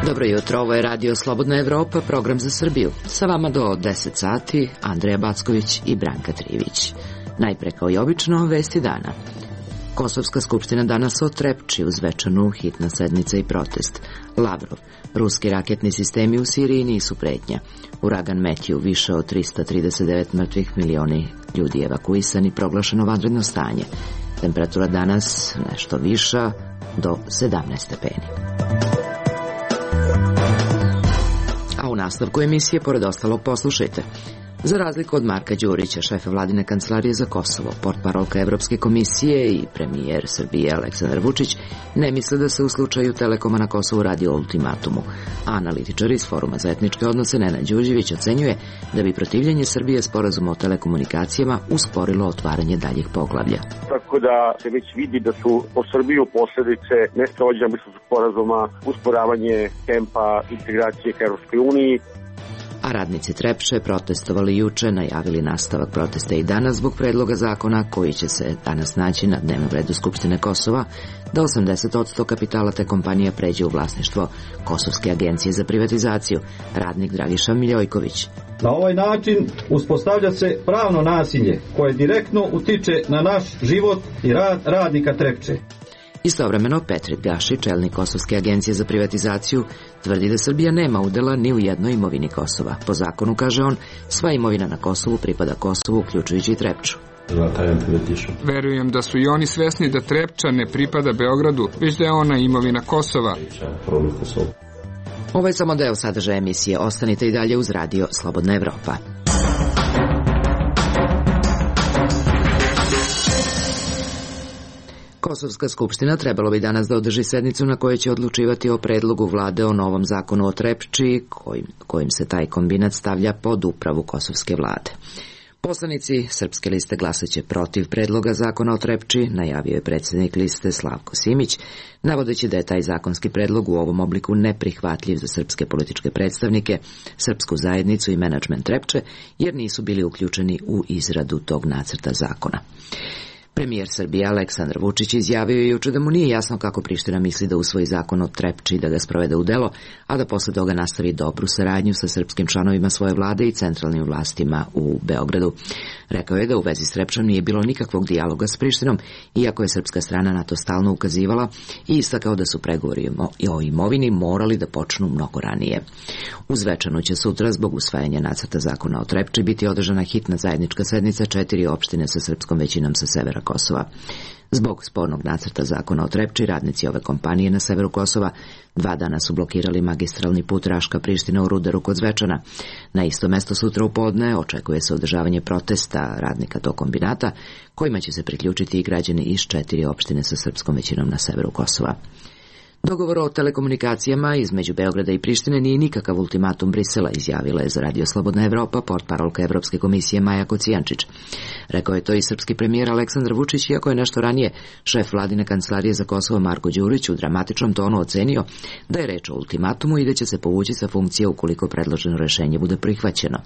Dobro jutro, ovo je Radio Slobodna Evropa, program za Srbiju. Sa vama do 10 sati, Andreja Backović i Branka Trivić. Najpre kao i obično, vesti dana. Kosovska skupština danas o Trepči, uz večanu hitna sednica i protest. Lavrov, ruski raketni sistemi u Siriji nisu pretnja. Uragan Matthew, više od 339 mrtvih, milioni ljudi evakuisani, proglašeno vanredno stanje. Temperatura danas nešto viša, do 17 stepeni. A u nastavku emisije, pored ostalog, poslušajte. Za razliku od Marka Đurića, šefa vladine kancelarije za Kosovo, portparolka Evropske komisije i premijer Srbije Aleksandar Vučić ne misle da se u slučaju Telekoma na Kosovu radi o ultimatumu. A analitičar iz Foruma za etničke odnose Nenad Đurđević ocenjuje da bi protivljenje Srbije sporazuma o telekomunikacijama usporilo otvaranje daljih poglavlja. Tako da se već vidi da su po Srbiju posljedice nesprovođenja Briselskog sporazuma, usporavanje tempa integracije ka Evropskoj uniji. A radnici Trepče protestovali juče, najavili nastavak protesta i danas zbog predloga zakona koji će se danas naći na dnevnom redu Skupštine Kosova, da 80% kapitala te kompanija pređe u vlasništvo Kosovske agencije za privatizaciju. Radnik Dragiša Miljojković. Na ovaj način uspostavlja se pravno nasilje koje direktno utiče na naš život i rad radnika Trepče. Istovremeno, Petrit Gaši, čelnik Kosovske agencije za privatizaciju, tvrdi da Srbija nema udela ni u jednoj imovini Kosova. Po zakonu, kaže on, sva imovina na Kosovu pripada Kosovu, uključujući i Trepču. Verujem da su i oni svesni da Trepča ne pripada Beogradu, već da je ona imovina Kosova. Ovo je samo deo sadržaja emisije. Ostanite i dalje uz Radio Slobodna Evropa. Kosovska skupština trebalo bi danas da održi sednicu na kojoj će odlučivati o predlogu vlade o novom zakonu o Trepči, kojim se taj kombinat stavlja pod upravu kosovske vlade. Poslanici Srpske liste glasaće protiv predloga zakona o Trepči, najavio je predsjednik liste Slavko Simić, navodeći da je taj zakonski predlog u ovom obliku neprihvatljiv za srpske političke predstavnike, srpsku zajednicu i menadžment Trepče, jer nisu bili uključeni u izradu tog nacrta zakona. Premijer Srbije Aleksandar Vučić izjavio je juče da mu nije jasno kako Priština misli da usvoji zakon o Trepči i da ga sprovede u delo, a da posle toga nastavi dobru saradnju sa srpskim članovima svoje vlade i centralnim vlastima u Beogradu. Rekao je da u vezi s Trepčom nije bilo nikakvog dijaloga s Prištinom, iako je srpska strana na to stalno ukazivala, i istakao da su pregovori o imovini morali da počnu mnogo ranije. Uz večanu će sutra, zbog usvajanja nacrta zakona o Trepči, biti održana hitna zajednička sednica 4 opštine sa srpskom većinom sa severa Kosova. Zbog spornog nacrta zakona o Trepči, radnici ove kompanije na severu Kosova 2 dana su blokirali magistralni put Raška-Priština u Rudaru kod Zvečana. Na isto mesto sutra u podne očekuje se održavanje protesta radnika tog kombinata, kojima će se priključiti i građani iz 4 opštine sa srpskom većinom na severu Kosova. Dogovor o telekomunikacijama između Beograda i Prištine nije nikakav ultimatum Brisela, izjavila je za Radio Slobodna Evropa portparolka Evropske komisije Maja Kocijančić. Rekao je to i srpski premijer Aleksandar Vučić, iako je nešto ranije šef vladine kancelarije za Kosovo Marko Đurić u dramatičnom tonu ocenio da je reč o ultimatumu i da će se povući sa funkcije ukoliko predloženo rešenje bude prihvaćeno.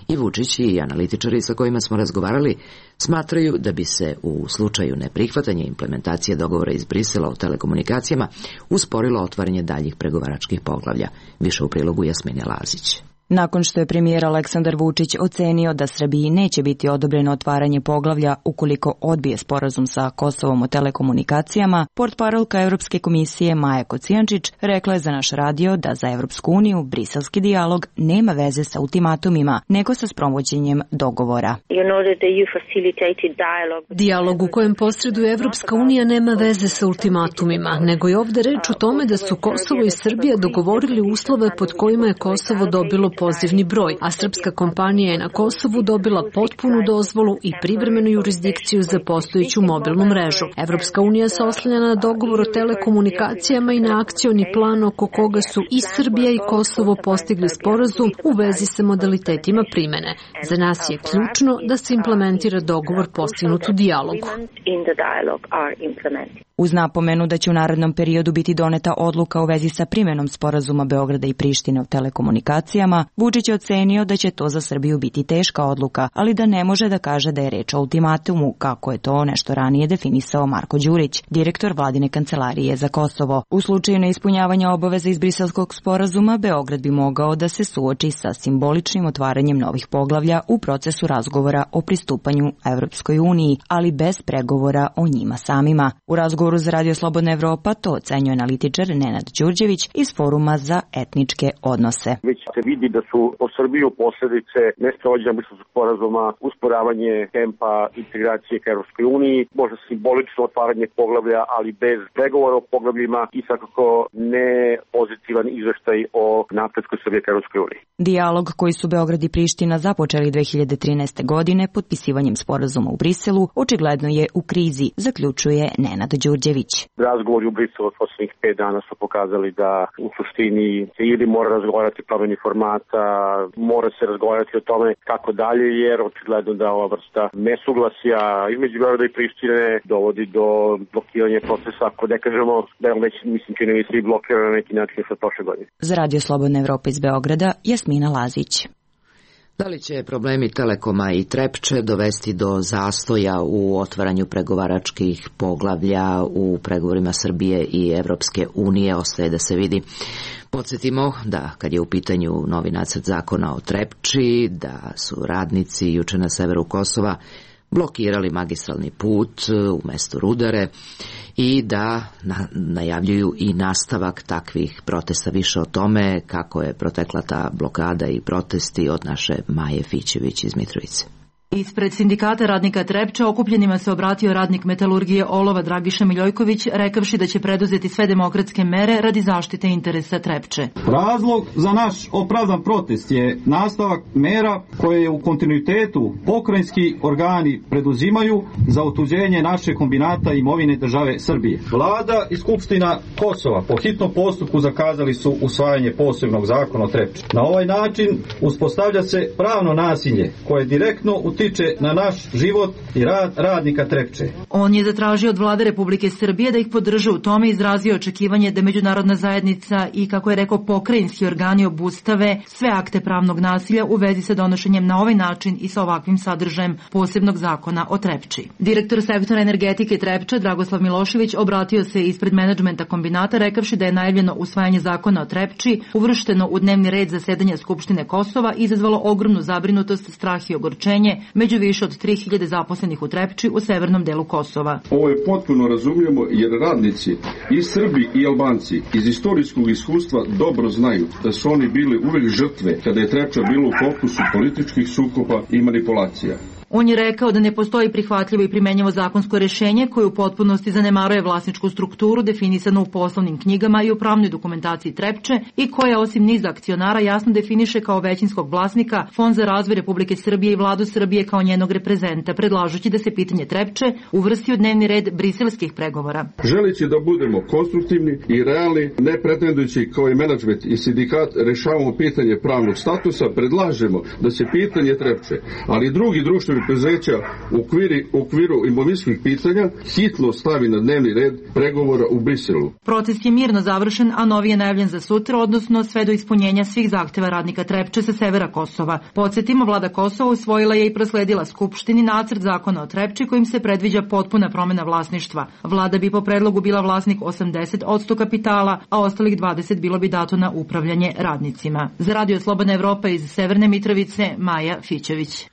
I Vučić i analitičari sa kojima smo razgovarali smatraju da bi se u slučaju neprihvatanja implementacije dogovora iz Brisela o telekomunikacijama usporilo otvaranje daljih pregovaračkih poglavlja. Više u prilogu Jasmine Lazić. Nakon što je premijer Aleksandar Vučić ocenio da Srbiji neće biti odobreno otvaranje poglavlja ukoliko odbije sporazum sa Kosovom o telekomunikacijama, portparolka Evropske komisije Maja Kocijančić rekla je za naš radio da za Evropsku uniju briselski dijalog nema veze sa ultimatumima, nego sa sprovođenjem dogovora. Dijalog u kojem posreduje Evropska unija nema veze sa ultimatumima, nego je ovde reč o tome da su Kosovo i Srbija dogovorili uslove pod kojima je Kosovo dobilo pozivni broj, a srpska kompanija je na Kosovu dobila potpunu dozvolu i privremenu jurisdikciju za postojeću mobilnu mrežu. Evropska unija se oslanja na dogovor o telekomunikacijama i na akcioni plan oko koga su i Srbija i Kosovo postigli sporazum u vezi sa modalitetima primene. Za nas je ključno da se implementira dogovor postignut u dijalogu. Uz napomenu da će u narednom periodu biti doneta odluka u vezi sa primenom sporazuma Beograda i Prištine o telekomunikacijama, Vučić je ocenio da će to za Srbiju biti teška odluka, ali da ne može da kaže da je reč o ultimatumu, kako je to nešto ranije definisao Marko Đurić, direktor vladine kancelarije za Kosovo. U slučaju neispunjavanja obaveza iz Briselskog sporazuma, Beograd bi mogao da se suoči sa simboličnim otvaranjem novih poglavlja u procesu razgovora o pristupanju Evropskoj uniji, ali bez pregovora o njima samima. U razgovoru za Radio Slobodna Evropa to ocenjuje analitičar Nenad Đurđević iz Foruma za etničke odnose. Već se vidi da su po Srbiju posledice nesprovođenja Briselskog sporazuma, usporavanje tempa integracije ka Evropskoj uniji, možda simbolično otvaranje poglavlja, ali bez pregovora o poglavljima i svakako ne pozitivan izveštaj o napretku Srbije ka Evropskoj uniji. Dijalog koji su Beograd i Priština započeli 2013. godine potpisivanjem sporazuma u Briselu očigledno je u krizi, zaključuje Nenad Đurđević. Razgovori u Briselu od poslednjih 5 dana su pokazali da u suštini se ili mora razgovarati o promeni formata, mora se razgovarati o tome kako dalje, jer očigledno da ova vrsta nesuglasja između Beograda i Prištine dovodi do blokiranja procesa, ako ne kažemo da je već, mislim, čini mi se i blokirano na neki način sa prošle godine. Za Radio Slobodna Evropa iz Beograda, Jasmina Lazić. Da li će problemi Telekoma i Trepče dovesti do zastoja u otvaranju pregovaračkih poglavlja u pregovorima Srbije i Evropske unije, ostaje da se vidi. Podsjetimo da kad je u pitanju novi nacrt zakona o Trepči, da su radnici juče na severu Kosova blokirali magistralni put u mestu Rudare i da najavljuju i nastavak takvih protesta. Više o tome kako je protekla ta blokada i protesti od naše Maje Fićević iz Mitrovice. Ispred sindikata radnika Trepče okupljenima se obratio radnik metalurgije olova Dragiša Miljojković, rekavši da će preduzeti sve demokratske mere radi zaštite interesa Trepče. Razlog za naš opravdan protest je nastavak mera koje u kontinuitetu pokrajinski organi preduzimaju za otuđenje naše kombinata imovine države Srbije. Vlada i Skupština Kosova po hitnom postupku zakazali su usvajanje posebnog zakona o Trepči. Na ovaj način uspostavlja se pravno nasilje koje direktno utiče na naš život i rad radnika Trepče. On je zatražio od Vlade Republike Srbije da ih podrže u tome, izrazio očekivanje da međunarodna zajednica i, kako je rekao, pokrajinski organi obustave sve akte pravnog nasilja u vezi sa donošenjem na ovaj način i sa ovakvim sadržajem posebnog zakona o Trepči. Direktor sektora energetike Trepča Dragoslav Milošević obratio se ispred menadžmenta kombinata, rekavši da je najavljeno usvajanje zakona o Trepči uvršteno u dnevni red zasedanja Skupštine Kosova i izazvalo ogromnu zabrinutost, strah i ogorčenje među više od 3000 zaposlenih u Trepči u severnom delu Kosova. Ovo je potpuno razumljamo jer radnici i Srbi i Albanci iz istorijskog iskustva dobro znaju da su oni bili uvek žrtve kada je Trepča bilo u fokusu političkih sukoba i manipulacija. On je rekao da ne postoji prihvatljivo i primenjivo zakonsko rešenje koje u potpunosti zanemaruje vlasničku strukturu definisanu u poslovnim knjigama i u pravnoj dokumentaciji Trepče i koja osim niza akcionara jasno definiše kao većinskog vlasnika Fond za razvoj Republike Srbije i Vladu Srbije kao njenog reprezenta, predlažući da se pitanje Trepče uvrsti u dnevni red briselskih pregovora. Želeći da budemo konstruktivni i realni, ne pretendujući kao i menadžment i sindikat rešavamo pitanje pravnog statusa, predlažemo da se pitanje Trepče, ali i drugi društveni preduzeća u okviru imovinskih pitanja hitno stavi na dnevni red pregovora u Briselu. Proces je mirno završen, a novi je najavljen za sutra, odnosno sve do ispunjenja svih zahteva radnika Trepče sa severa Kosova. Podsjetimo, vlada Kosova usvojila je i prosledila Skupštini nacrt zakona o Trepči kojim se predviđa potpuna promena vlasništva. Vlada bi po predlogu bila vlasnik 80% kapitala, a ostalih 20 bilo bi dato na upravljanje radnicima. Za Radio Slobodna Evropa iz Severne Mitrovice, Maja Fićević.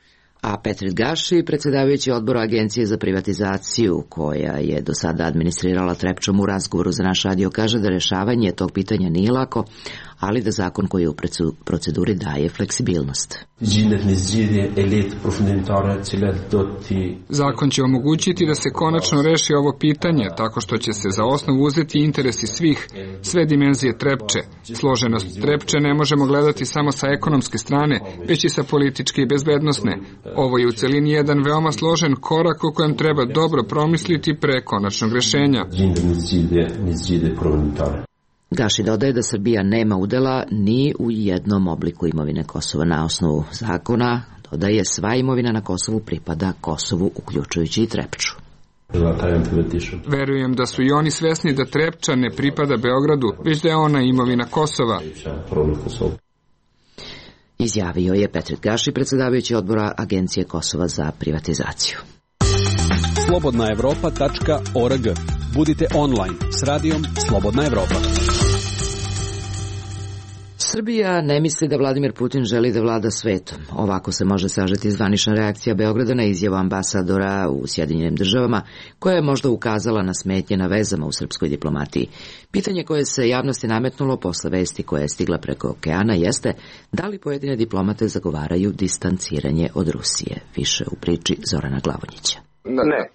A Petrit Gaši, predsedavajući odbora Agencije za privatizaciju, koja je do sada administrirala Trepčom, u razgovoru za naš radio kaže da rešavanje tog pitanja nije lako, ali da zakon koji je u proceduri daje fleksibilnost. Zakon će omogućiti da se konačno reši ovo pitanje tako što će se za osnovu uzeti interesi svih, sve dimenzije Trepče. Složenost Trepče ne možemo gledati samo sa ekonomske strane, već i sa političke i bezbednosne. Ovo je u celini jedan veoma složen korak o kojem treba dobro promisliti pre konačnog rešenja. Gaši dodaje da Srbija nema udela ni u jednom obliku imovine Kosova. Na osnovu zakona, dodaje, sva imovina na Kosovu pripada Kosovu, uključujući i Trepču. Verujem da su i oni svesni da Trepča ne pripada Beogradu, već da je ona imovina Kosova. Izjavio je Petrit Gaši, predsedavajući odbora Agencije Kosova za privatizaciju. slobodnaevropa.org. Budite online s radijom Slobodna Evropa. Srbija ne misli da Vladimir Putin želi da vlada svetom. Ovako se može sažeti zvanična reakcija Beograda na izjavu ambasadora u Sjedinjenim državama, koja je možda ukazala na smetnje na vezama u srpskoj diplomatiji. Pitanje koje se javnosti nametnulo posle vesti koja je stigla preko okeana jeste da li pojedine diplomate zagovaraju distanciranje od Rusije. Više u priči Zorana Glavonjića.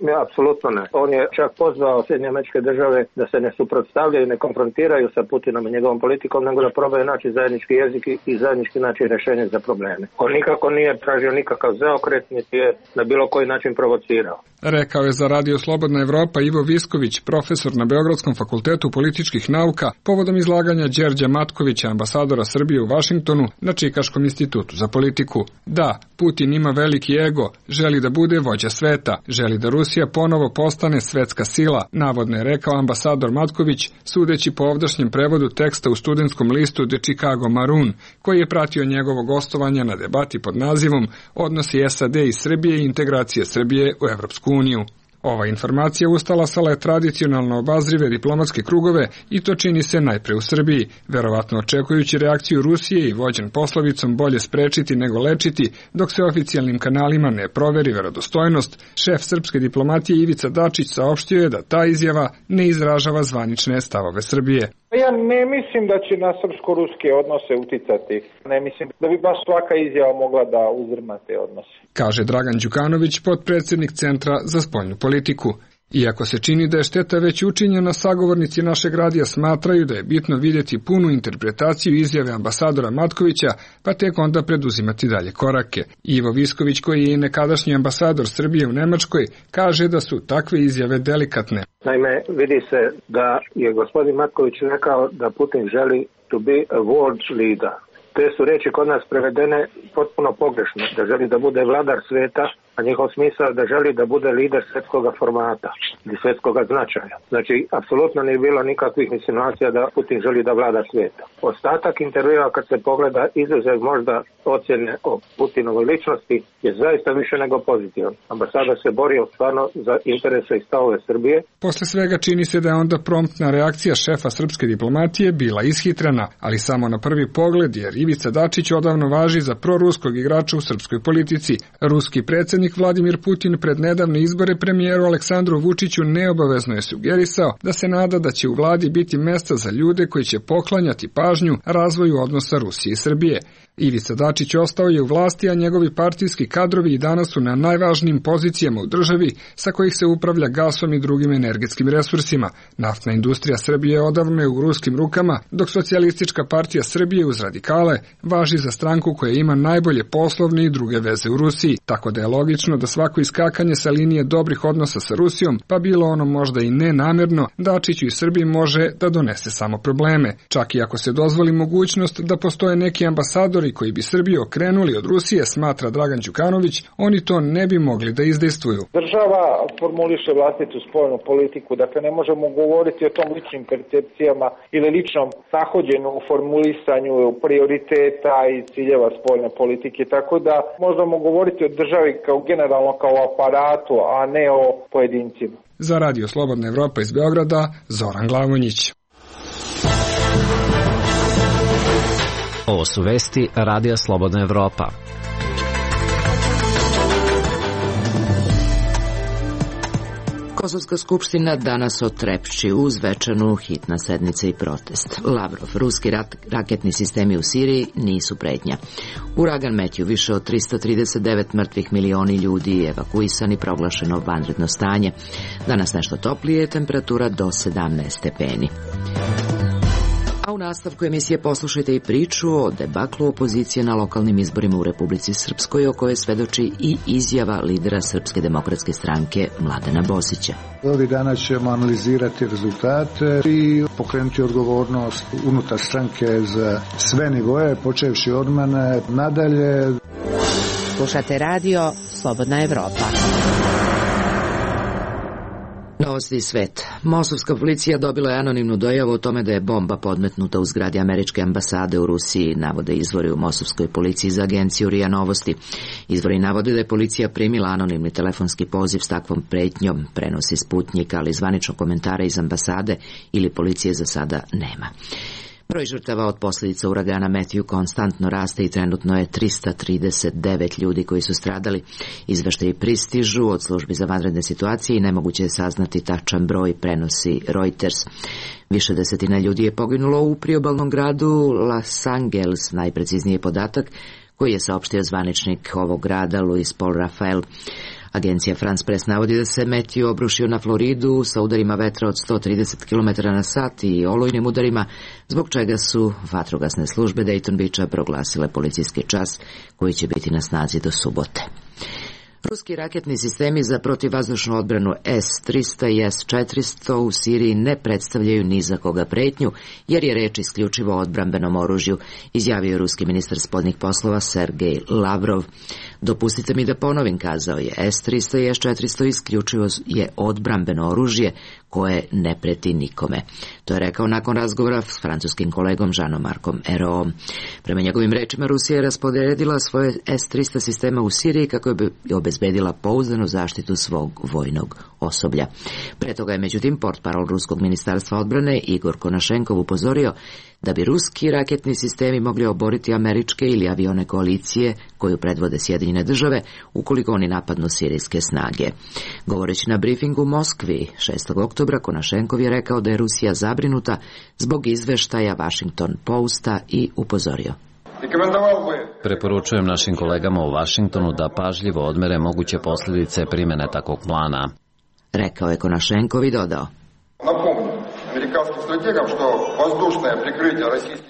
Ne, apsolutno ne. On je čak pozvao Sjedinjene Američke Države da se ne suprotstavljaju, ne konfrontiraju sa Putinom i njegovom politikom, nego da probaju naći zajednički jezik i zajednički naći rješenje za probleme. On nikako nije tražio nikakav zaokret, niti je na bilo koji način provocirao. Rekao je za Radio Slobodna Evropa Ivo Visković, profesor na Beogradskom fakultetu političkih nauka, povodom izlaganja Đerđa Matkovića, ambasadora Srbije u Vašingtonu na Čikaškom institutu za politiku. Da, Putin ima veliki ego, želi da bude vođa sveta, želi da Rusija ponovo postane svetska sila, navodno je rekao ambasador Matković, sudeći po ovdašnjem prevodu teksta u studentskom listu The Chicago Maroon, koji je pratio njegovo gostovanje na debati pod nazivom Odnosi SAD i Srbije i integracije Srbije u Evropsku uniju. Ova informacija ustalasala je tradicionalno obazrive diplomatske krugove i to čini se najpre u Srbiji, verovatno očekujući reakciju Rusije i vođen poslovicom bolje sprečiti nego lečiti, dok se oficijalnim kanalima ne proveri verodostojnost, šef srpske diplomatije Ivica Dačić saopštio je da ta izjava ne izražava zvanične stavove Srbije. Ja ne mislim da će na srpsko-ruske odnose uticati. Ne mislim da bi baš svaka izjava mogla da uzrma te odnose. Kaže Dragan Đukanović, potpredsjednik Centra za spoljnu politiku. Iako se čini da je šteta već učinjena, sagovornici našeg radija smatraju da je bitno vidjeti punu interpretaciju izjave ambasadora Matkovića, pa tek onda preduzimati dalje korake. Ivo Visković, koji je i nekadašnji ambasador Srbije u Nemačkoj, kaže da su takve izjave delikatne. Naime, vidi se da je gospodin Matković rekao da Putin želi to be a world leader. Te su reči kod nas prevedene potpuno pogrešno, da želi da bude vladar sveta, a njihov smisao da želi da bude lider svjetskog formata ili svjetskog značaja. Znači, apsolutno nije bilo nikakvih insinuacija da Putin želi da vlada svijeta. Ostatak intervjua, kad se pogleda, izuzev možda ocjene o Putinovoj ličnosti, je zaista više nego pozitivan. Ambasador se borio stvarno za interese i stavove Srbije. Posle svega čini se da je onda promptna reakcija šefa srpske diplomatije bila ishitrena, ali samo na prvi pogled, jer Ivica Dačić odavno važi za proruskog igrača u srpskoj politici. Ruski predsjednik Vladimir Putin pred nedavne izbore premijeru Aleksandru Vučiću neobavezno je sugerisao da se nada da će u vladi biti mesta za ljude koji će poklanjati pažnju razvoju odnosa Rusije i Srbije. Ivica Dačić ostao je u vlasti, a njegovi partijski kadrovi i danas su na najvažnijim pozicijama u državi sa kojih se upravlja gasom i drugim energetskim resursima. Naftna industrija Srbije odavno je u ruskim rukama, dok Socijalistička partija Srbije uz radikale važi za stranku koja ima najbolje poslovne i druge veze u Rusiji, tako da je logično da svako iskakanje sa linije dobrih odnosa sa Rusijom, pa bilo ono možda i nenamjerno, Dačiću i Srbiji može da donese samo probleme. Čak i ako se dozvoli mogućnost da postoje neki ambasadori koji bi Srbiju okrenuli od Rusije, smatra Dragan Đukanović, oni to ne bi mogli da izdejstvuju. Država formuliše vlastitu spoljnu politiku, dakle ne možemo govoriti o tom ličnim percepcijama ili ličnom nahođenju u formulisanju prioriteta i ciljeva spoljne politike, tako da možemo govoriti o državi kao generalno kao aparatu, a ne o pojedincima. Za Radio Slobodna Evropa iz Beograda, Zoran Glavonjić. Ovo su vesti Radija Slobodna Evropa. Kosovska skupština danas o Trepči uz svečanu hitna sednica i protest. Lavrov, ruski raketni sistemi u Siriji nisu pretnja. Uragan Matthew, više od 339 mrtvih, milioni ljudi evakuisani, proglašeno vanredno stanje. Danas nešto toplije, temperatura do 17 stepeni. A u nastavku emisije poslušajte i priču o debaklu opozicije na lokalnim izborima u Republici Srpskoj, o kojoj svedoči i izjava lidera Srpske demokratske stranke Mladena Bosića. Ovih dana ćemo analizirati rezultate i pokrenuti odgovornost unutar stranke za sve nivoje, počevši od mene nadalje. Slušate radio Slobodna Evropa. Novosti iz sveta. Mosovska policija dobila je anonimnu dojavu o tome da je bomba podmetnuta u zgradi američke ambasade u Rusiji, navode izvori u mosovskoj policiji za agenciju RIA Novosti. Izvori navode da je policija primila anonimni telefonski poziv s takvom pretnjom, prenosi Sputnjik, ali zvaničnog komentara iz ambasade ili policije za sada nema. Broj žrtava od posljedica uragana Matthew konstantno raste i trenutno je 339 ljudi koji su stradali. Izveštaji pristižu od službi za vanredne situacije i nemoguće je saznati tačan broj, prenosi Reuters. Više desetina ljudi je poginulo u priobalnom gradu Los Angeles, najprecizniji podatak koji je saopštio zvaničnik ovog grada Luis Paul Rafael. Agencija France Press navodi da se Matthew obrušio na Floridu sa udarima vetra od 130 km na sat i olujnim udarima, zbog čega su vatrogasne službe Dayton Beacha proglasile policijski čas koji će biti na snazi do subote. Ruski raketni sistemi za protivvazdušnu odbranu S-300 i S-400 u Siriji ne predstavljaju ni za koga pretnju, jer je reč isključivo o odbrambenom oružju, izjavio ruski ministar spoljnih poslova Sergej Lavrov. Dopustite mi da ponovim, kazao je, S-300 i S-400 isključivo je odbrambeno oružje koje ne preti nikome. To je rekao nakon razgovora s francuskim kolegom Jeanom-Marcom Ayraultom. Prema njegovim rečima, Rusija je raspodredila svoje S-300 sistema u Siriji kako bi obezbedila pouzdanu zaštitu svog vojnog osoblja. Pre toga je međutim portparol ruskog ministarstva odbrane Igor Konašenkov upozorio da bi ruski raketni sistemi mogli oboriti američke ili avione koalicije koju predvode Sjedinjene države ukoliko oni napadnu sirijske snage. Govoreći na brifingu u Moskvi 6. oktobra, Konašenkov je rekao da je Rusija zabrinuta zbog izveštaja Washington Posta i upozorio: Preporučujem našim kolegama u Vašingtonu da pažljivo odmere moguće posljedice primjene takvog plana, rekao je Konašenkov i dodao: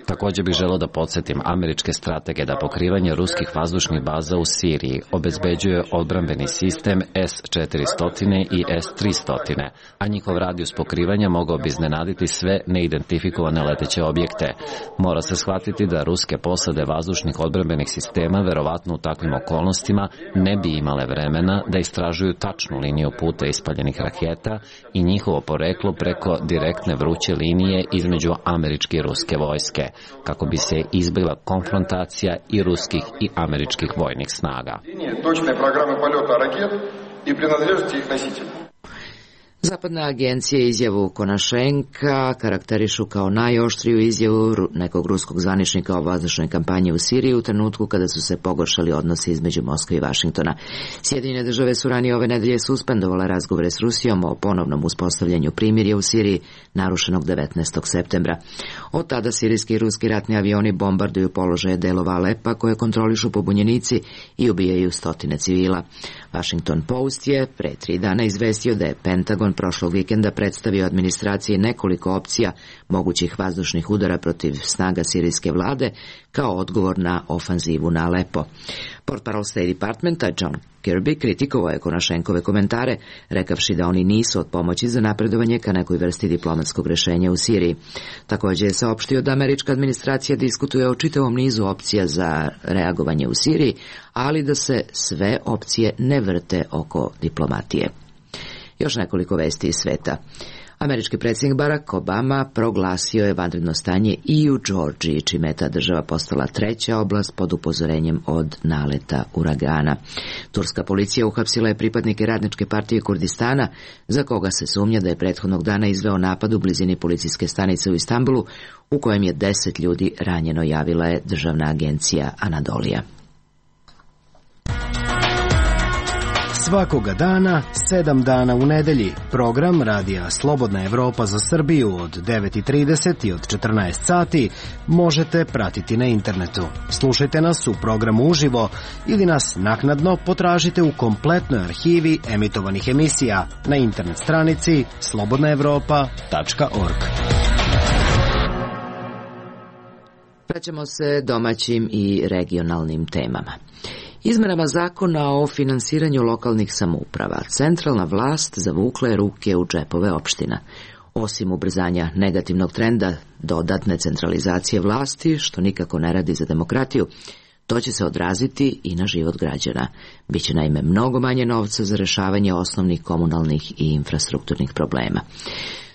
Također bih želeo da podsjetim američke stratege da pokrivanje ruskih vazdušnih baza u Siriji obezbeđuje odbrambeni sistem S-400 i S-300, a njihov radijus pokrivanja mogao bi iznenaditi sve neidentifikovane leteće objekte. Mora se shvatiti da ruske posade vazdušnih odbrambenih sistema verovatno u takvim okolnostima ne bi imale vremena da istražuju tačnu liniju puta ispaljenih raketa i njihovo poreklo preko direktne vruće linije između američke i ruske vojske, kako bi se izbjegla konfrontacija i ruskih i američkih vojnih snaga. Zapadne agencije izjavu Konašenka karakterišu kao najoštriju izjavu nekog ruskog zvaničnika o vazdušnoj kampanji u Siriji u trenutku kada su se pogoršali odnosi između Moskve i Vašingtona. Sjedinjene države su ranije ove nedelje suspendovale razgovore s Rusijom o ponovnom uspostavljanju primirja u Siriji, narušenog 19. septembra. Od tada sirijski i ruski ratni avioni bombarduju položaje delova Alepa koje kontrolišu pobunjenici i ubijaju stotine civila. Washington Post je pre 3 dana izvestio da je Pentagon prošlog vikenda predstavio administraciji nekoliko opcija mogućih vazdušnih udara protiv snaga sirijske vlade kao odgovor na ofanzivu na Alepo. Portparol State Departmenta John Kirby kritikovao je Konašenkove komentare, rekavši da oni nisu od pomoći za napredovanje ka nekoj vrsti diplomatskog rešenja u Siriji. Također je saopštio da američka administracija diskutuje o čitavom nizu opcija za reagovanje u Siriji, ali da se sve opcije ne vrte oko diplomatije. Još nekoliko vesti iz sveta. Američki predsjednik Barack Obama proglasio je vanredno stanje i u Džordžiji, čime je ta država postala 3. oblast pod upozorenjem od naleta uragana. Turska policija uhapsila je pripadnike Radničke partije Kurdistana, za koga se sumnja da je prethodnog dana izveo napad u blizini policijske stanice u Istanbulu, u kojem je 10 ljudi ranjeno, javila je državna agencija Anadolija. Svakoga dana, 7 dana u nedelji, program Radija Slobodna Evropa za Srbiju od 9:30 i od 14 sati možete pratiti na internetu. Slušajte nas u programu uživo ili nas naknadno potražite u kompletnoj arhivi emitovanih emisija na internet stranici slobodnaevropa.org. Vraćamo se domaćim i regionalnim temama. Izmenama zakona o finansiranju lokalnih samouprava, centralna vlast zavukla je ruke u džepove opština. Osim ubrzanja negativnog trenda dodatne centralizacije vlasti, što nikako ne radi za demokratiju, To će se odraziti i na život građana. Biće naime mnogo manje novca za rešavanje osnovnih komunalnih i infrastrukturnih problema.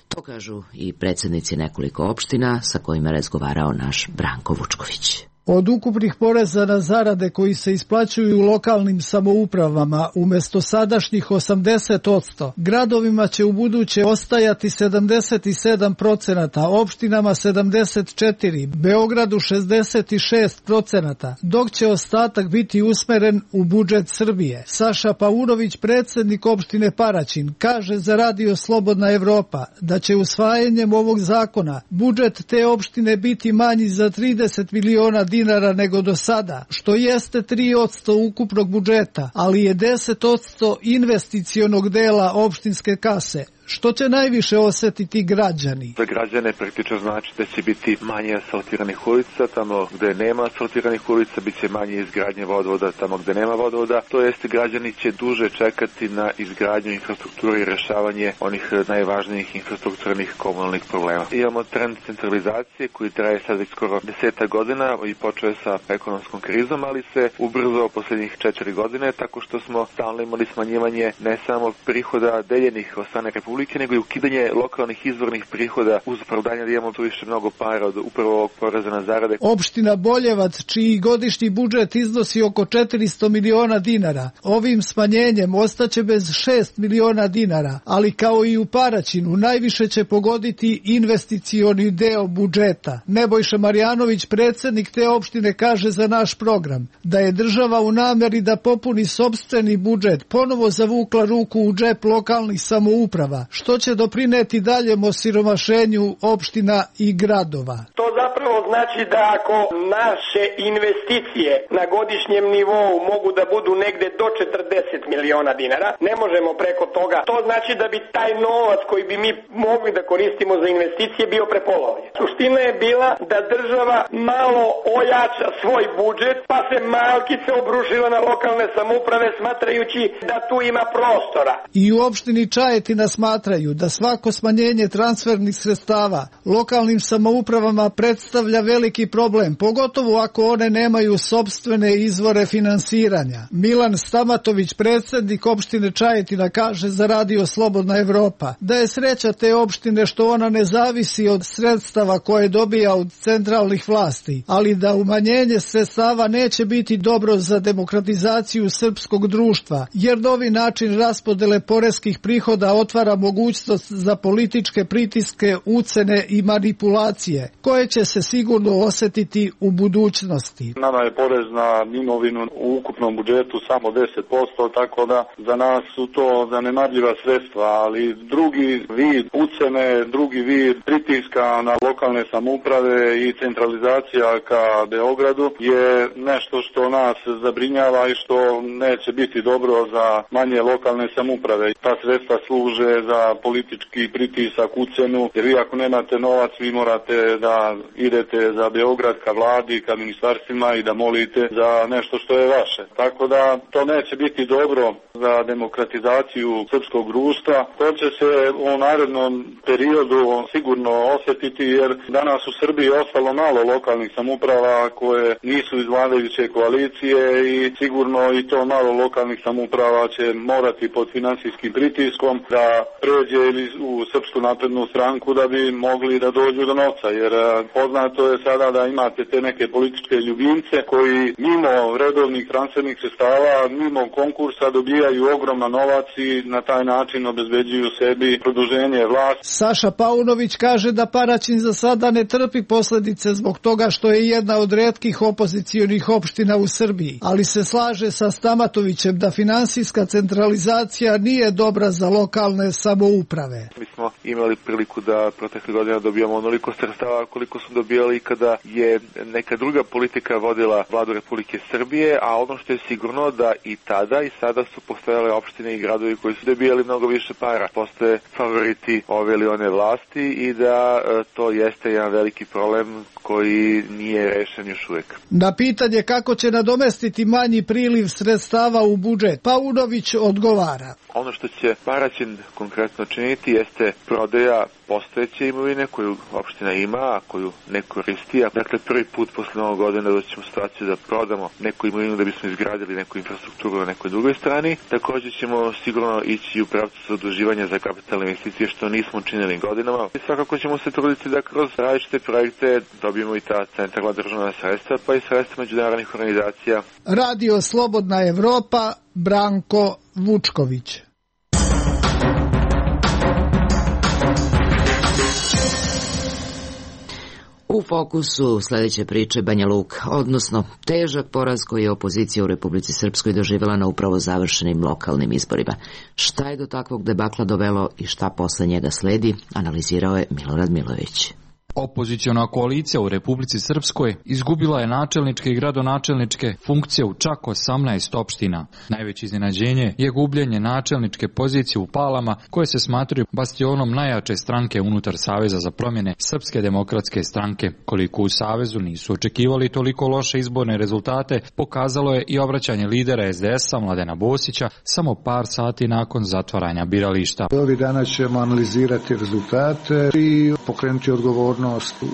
To kažu i predsjednici nekoliko opština sa kojima je razgovarao naš Branko Vučković. Od ukupnih poreza na zarade koji se isplaćuju u lokalnim samoupravama umjesto sadašnjih 80%, gradovima će u buduće ostajati 77%, opštinama 74%, Beogradu 66%, dok će ostatak biti usmeren u budžet Srbije. Saša Paunović, predsjednik opštine Paraćin, kaže za Radio Slobodna Evropa da će usvajanjem ovog zakona budžet te opštine biti manji za 30 miliona dinara nego do sada, što jeste 3% ukupnog budžeta, ali je 10% investicionog dela opštinske kase. Što će najviše osjetiti građani? Za građane praktično znači da će biti manje asfaltiranih ulica, tamo gde nema asfaltiranih ulica bit će manje izgradnje vodovoda, tamo gde nema vodovoda, to jest građani će duže čekati na izgradnju infrastrukture i rešavanje onih najvažnijih infrastrukturnih komunalnih problema. Imamo trend centralizacije koji traje sad već skoro 10 godina i počeo je sa ekonomskom krizom, ali se ubrzao poslednjih 4 godine tako što smo stalno imali smanjivanje ne samo prihoda deljenih od strane Republike, nego i ukidanje lokalnih izvornih prihoda uz opravdanje da imamo tu više mnogo para od upravo ovog poreza na zarade. Opština Boljevac, čiji godišnji budžet iznosi oko 400 miliona dinara, ovim smanjenjem ostaće bez 6 miliona dinara, ali kao i u Paraćinu najviše će pogoditi investicioni deo budžeta. Nebojša Marjanović, predsjednik te opštine, kaže za naš program da je država u nameri da popuni sopstveni budžet ponovo zavukla ruku u džep lokalnih samouprava, što će doprineti daljem osiromašenju opština i gradova. To zapravo znači da ako naše investicije na godišnjem nivou mogu da budu negde do 40 miliona dinara, ne možemo preko toga. To znači da bi taj novac koji bi mi mogli da koristimo za investicije bio prepolovljen. Suština je bila da država malo ojača svoj budžet, pa se malkice obrušila na lokalne samouprave smatrajući da tu ima prostora. I u opštini Čajetina smatraju da svako smanjenje transfernih sredstava lokalnim samoupravama predstavlja veliki problem, pogotovo ako one nemaju sopstvene izvore finansiranja. Milan Stamatović, predsjednik opštine Čajetina, kaže za Radio Slobodna Evropa da je sreća te opštine što ona ne zavisi od sredstava koje dobija od centralnih vlasti, ali da umanjenje sredstava neće biti dobro za demokratizaciju srpskog društva, jer novi način raspodele poreskih prihoda otvara mogućnost za političke pritiske, ucene i manipulacije, koje će se sigurno osjetiti u budućnosti. Nama je porez na imovinu u ukupnom budžetu samo 10%, tako da za nas su to zanemarljiva sredstva, ali drugi vid ucene, drugi vid pritiska na lokalne samouprave i centralizacija ka Beogradu je nešto što nas zabrinjava i što neće biti dobro za manje lokalne samouprave. Ta sredstva služe za politički pritisak, ucenu, jer vi ako nemate novac, vi morate da idete za Beograd ka vladi, ka ministarstvima i da molite za nešto što je vaše. Tako da to neće biti dobro za demokratizaciju srpskog društva. To će se u narednom periodu sigurno osjetiti, jer danas u Srbiji ostalo malo lokalnih samouprava koje nisu iz vladajuće koalicije i sigurno i to malo lokalnih samouprava će morati pod finansijskim pritiskom da pređe u Srpsku naprednu stranku da bi mogli da dođu do novca, jer poznato je sada da imate te neke političke ljubimce koji mimo redovnih transfernih sredstava, mimo konkursa dobijaju ogroman novac i na taj način obezbeđuju sebi produženje vlasti. Saša Paunović kaže da Paraćin za sada ne trpi posledice zbog toga što je jedna od retkih opozicionih opština u Srbiji, ali se slaže sa Stamatovićem da finansijska centralizacija nije dobra za lokalne samouprave. Mi smo imali priliku da protekle godine dobijamo onoliko sredstava koliko su dobijali kada je neka druga politika vodila vladu Republike Srbije, a ono što je sigurno da i tada i sada su postojale opštine i gradovi koji su dobijali mnogo više para. Postoje favoriti ove ili one vlasti i da to jeste jedan veliki problem koji nije rešen još uvek. Na pitanje kako će nadomestiti manji priliv sredstava u budžet, Paunović odgovara. Ono što će Paraćin konkretno činiti jeste prodaja postojeće imovine koju opština ima, a koju ne koristi. Dakle, prvi put posle Novog godine doćemo u situaciju da prodamo neku imovinu da bismo izgradili neku infrastrukturu na nekoj drugoj strani. Također ćemo sigurno ići u pravcu zaduživanja za kapitalne investicije, što nismo učinili godinama. I svakako ćemo se truditi da kroz različite projekte dobijemo i ta centralna državna sredstva, pa i sredstva međunarodnih organizacija. Radio Slobodna Evropa, Branko Vučković. U fokusu sledeće priče Banja Luka, odnosno težak poraz koji je opozicija u Republici Srpskoj doživjela na upravo završenim lokalnim izborima. Šta je do takvog debakla dovelo i šta posle njega sledi, analizirao je Milorad Milojević. Opoziciona koalicija u Republici Srpskoj izgubila je načelničke i gradonačelničke funkcije u čak 18 opština. Najveće iznenađenje je gubljenje načelničke pozicije u Palama, koje se smatraju bastionom najjače stranke unutar Saveza za promjene Srpske demokratske stranke. Koliko u Savezu nisu očekivali toliko loše izborne rezultate, pokazalo je i obraćanje lidera SDS-a Mladena Bosića samo par sati nakon zatvaranja birališta. Ovih dana ćemo analizirati rezultate i pokrenuti odgovornost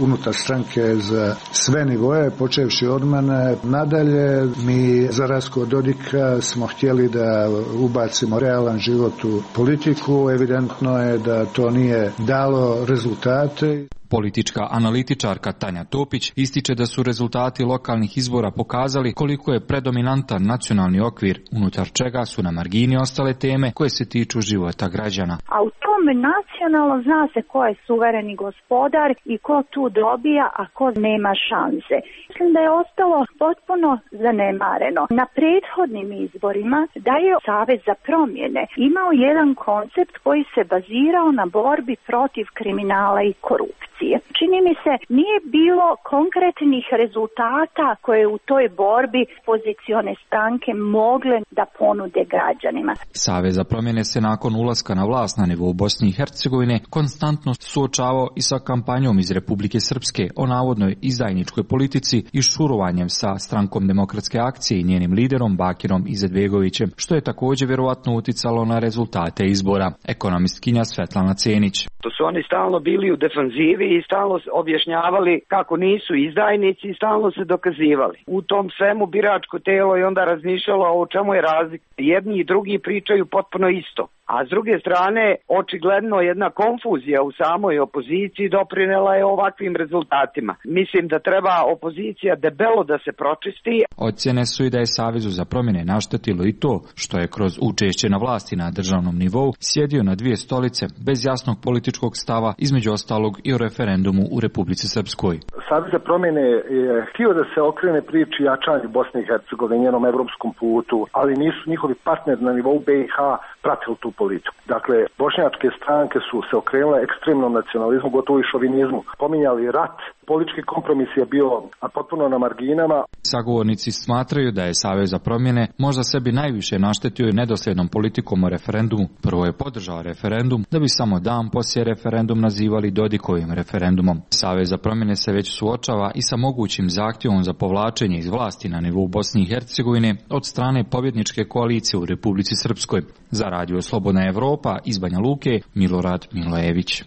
unutar stranke za sve nivoje, počevši od mene. Nadalje, mi za razliku od Dodika smo htjeli da ubacimo realan život u politiku. Evidentno je da to nije dalo rezultate. Politička analitičarka Tanja Topić ističe da su rezultati lokalnih izbora pokazali koliko je predominantan nacionalni okvir, unutar čega su na margini ostale teme koje se tiču života građana. A u tome nacionalno zna se ko je suvereni gospodar i ko tu dobija, a ko nema šanse. Mislim da je ostalo potpuno zanemareno. Na prethodnim izborima da je Savez za promjene imao jedan koncept koji se bazirao na borbi protiv kriminala i korupcije. Čini mi se nije bilo konkretnih rezultata koje u toj borbi pozicione stranke mogle da ponude građanima. Savez za promjene se nakon ulaska na vlast na nivou Bosne i Hercegovine konstantno suočavao i sa kampanjom iz Republike Srpske o navodnoj izdajničkoj politici i šurovanjem sa Strankom demokratske akcije i njenim liderom Bakirom Izetbegovićem, što je također vjerovatno uticalo na rezultate izbora. Ekonomistkinja Svetlana Cenić. To su oni stalno bili u defanzivi i stalno objašnjavali kako nisu izdajnici i stalno se dokazivali. U tom svemu biračko telo je onda razmišljalo o čemu je razlika. Jedni i drugi pričaju potpuno isto. A s druge strane, očigledno jedna konfuzija u samoj opoziciji doprinela je ovakvim rezultatima. Mislim da treba opozicija debelo da se pročisti. Ocjene su i da je Savezu za promjene naštetilo i to što je kroz učešće na vlasti na državnom nivou sjedio na dvije stolice bez jasnog političkog stava, između ostalog i o referendumu u Republici Srpskoj. Savez za promjene je htio da se okrene priči jačanju Bosne i Hercegovine, njenom evropskom putu, ali nisu njihovi partneri na nivou BiH pratili tu politiku. Dakle, bošnjačke stranke su se okrenule ekstremnom nacionalizmu, gotovo i šovinizmu. Pominjali rat, politički kompromis je bio potpuno na marginama. Sagovornici smatraju da je Savez za promjene možda sebi najviše naštetio i nedosljednom politikom o referendumu. Prvo je podržao referendum, da bi samo dan poslije referendum nazivali Dodikovim referendumom. Savez za promjene se već suočava i sa mogućim zahtjevom za povlačenje iz vlasti na nivou Bosne i Hercegovine od strane pobjedničke koalicije u Republici Srpskoj. Za Radio Slobodna Evropa iz Banja Luke, Milorad Milojević.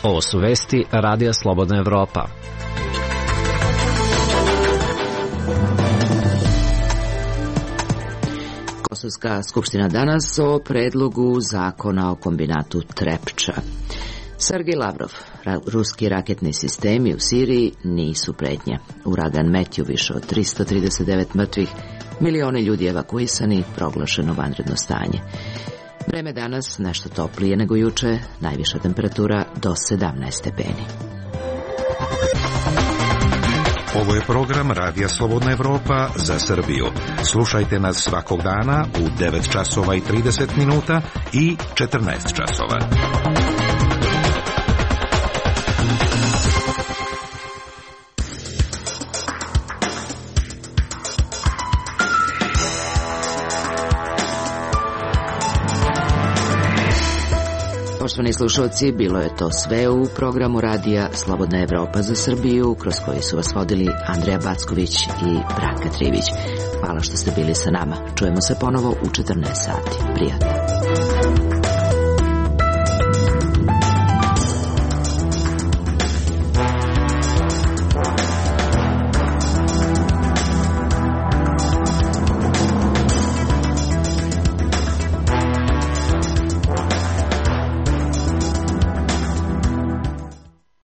Ovo su vesti Radija Slobodna Evropa. Kosovska skupština danas o predlogu zakona o kombinatu Trepča. Sergej Lavrov, ruski raketni sistemi u Siriji nisu pretnja. Uragan Metju više od 339 mrtvih, milioni ljudi evakuisani, proglašeno vanredno stanje. Vreme danas nešto toplije nego juče, najviša temperatura do 17 stepeni. Ovo je program Radija Slobodna Evropa za Srbiju. Slušajte nas svakog dana u 9 časova i 30 minuta i 14 časova. Poštovani slušalci, bilo je to sve u programu Radija Slobodna Evropa za Srbiju, kroz koji su vas vodili Andreja Backović i Branka Trivić. Hvala što ste bili sa nama. Čujemo se ponovo u 14 sati. Prijatno.